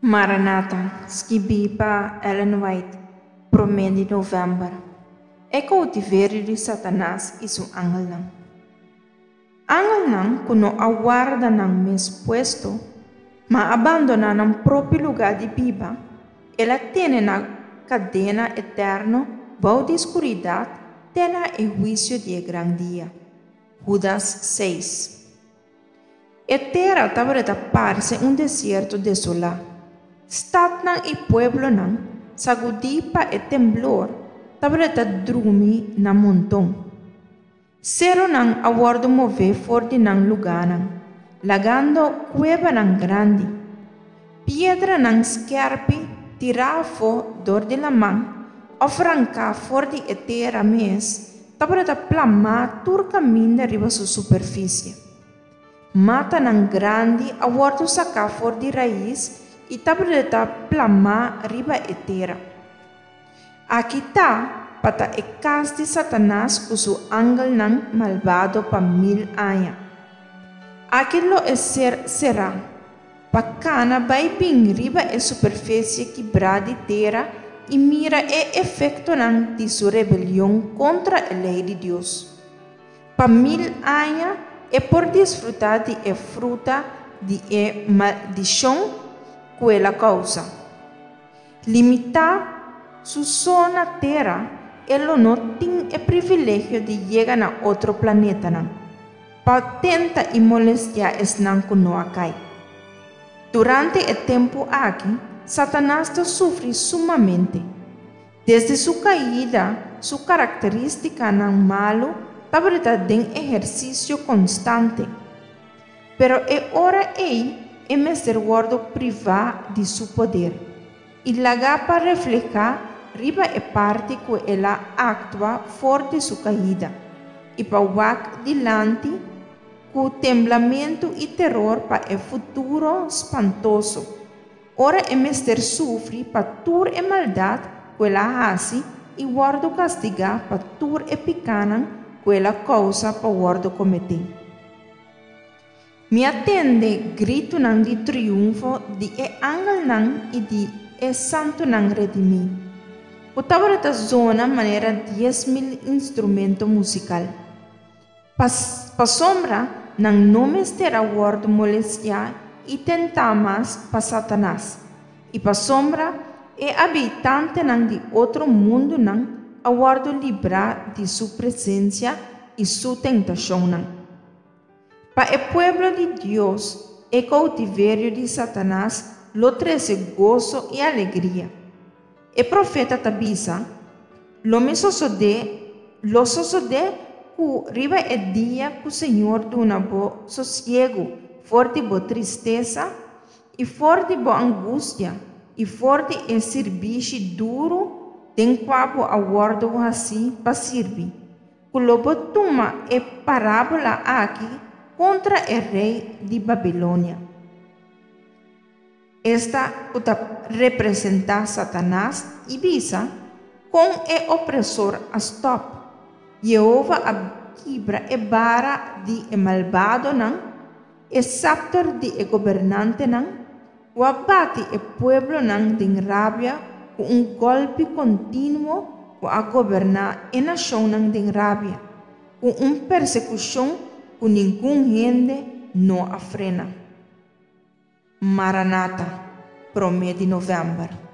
Maranata, skibí pa Ellen White, promé di novèmber. E koutiverio di Satanas i su angelnan. Angelnan ku no a warda nan mes puesto, ma a bandoná nan propio lugá di biba, el a tene na kadena eterno bou di skuridat te na e huisio di e gran dia. Hudas seis. E tera tabata parse un desierto desolá. Statnan i pueblonan, sagudí pa e temblor, tabata drumi na monton. Serunan a wòrdu mové for di nan lugánan, lagando kuebanan grandi. Piedranan skèrpi tirá afó dor di laman òf ranká for di e tera mes tabata plamá tur kaminda riba su superfisie. Matanan grandi a wòrdu saká for di rais i tabata plamá riba e tera. Aki ta pa ta e kas di Satanas ku su angelnan malbado pa mil aña. Aki lo e ser será, pa kana bai bin riba e superfisie kibrá di tera i mira e efektonan di su rebelion kontra e lei di Dios. Pa mil aña e por disfrutá di e fruta di e maldishon ku el a kousa. Limitá su so na tera, e lo no tin e privilegio di yega na otro planetanan, pa tenta i molestiá esnan ku no a kai. Durante e tempu aki, Satanas ta sufri sumamente. Desde su kaida, su karakterístikanan malu tabata den ehersisio konstante. Pero e ora ei e mester wòrdu privá di su poder i lagá pa reflehá riba e parti ku el a aktua for di su kaida i pa wak dilanti ku temblamentu i teror pa e futuro spantoso ora e mester sufri pa tur e maldat ku el a hasi i wòrdu kastigá pa tur e pikánan ku el a kousa pa wòrdu kometí. Mi a tende gritunan di triunfo di e angelnan i di e santunan redimí, ku tabata zona manera 10,000 instrumento musikal. Pasobra nan no mester a wòrdu molestiá i tentá mas pa Satanas, i pasobra e habitantenan di otro mundunan a wòrdu librá di su presensia i su tentashonnan. Pa e pueblo di Dios, e koutiverio di Satanas lo trese goso i alegria. E profeta ta bisa, Lo mi sosodé, lo sosodé ku riba e dia ku Señor duna bo sosiegu for di bo tristesa i for di bo angustia i for di e sirbishi duru den kua bo a wòrdu hasí pa sirbi, ku lo bo tuma e parábola aki kontra e rei di Babilonia. Esta ku ta representá Satanas, i bisa, Kon e opresor a stòp? Yehova a kibra e bara di e malbadonan, e sapter di e gobernantenan, ku a bati e pueblonan den rabia ku un gòlpi kontinuo ku a goberná e nashonnan den rabia, ku un persekushon ku ningun hende no a frena. Maranata, promé di novèmber.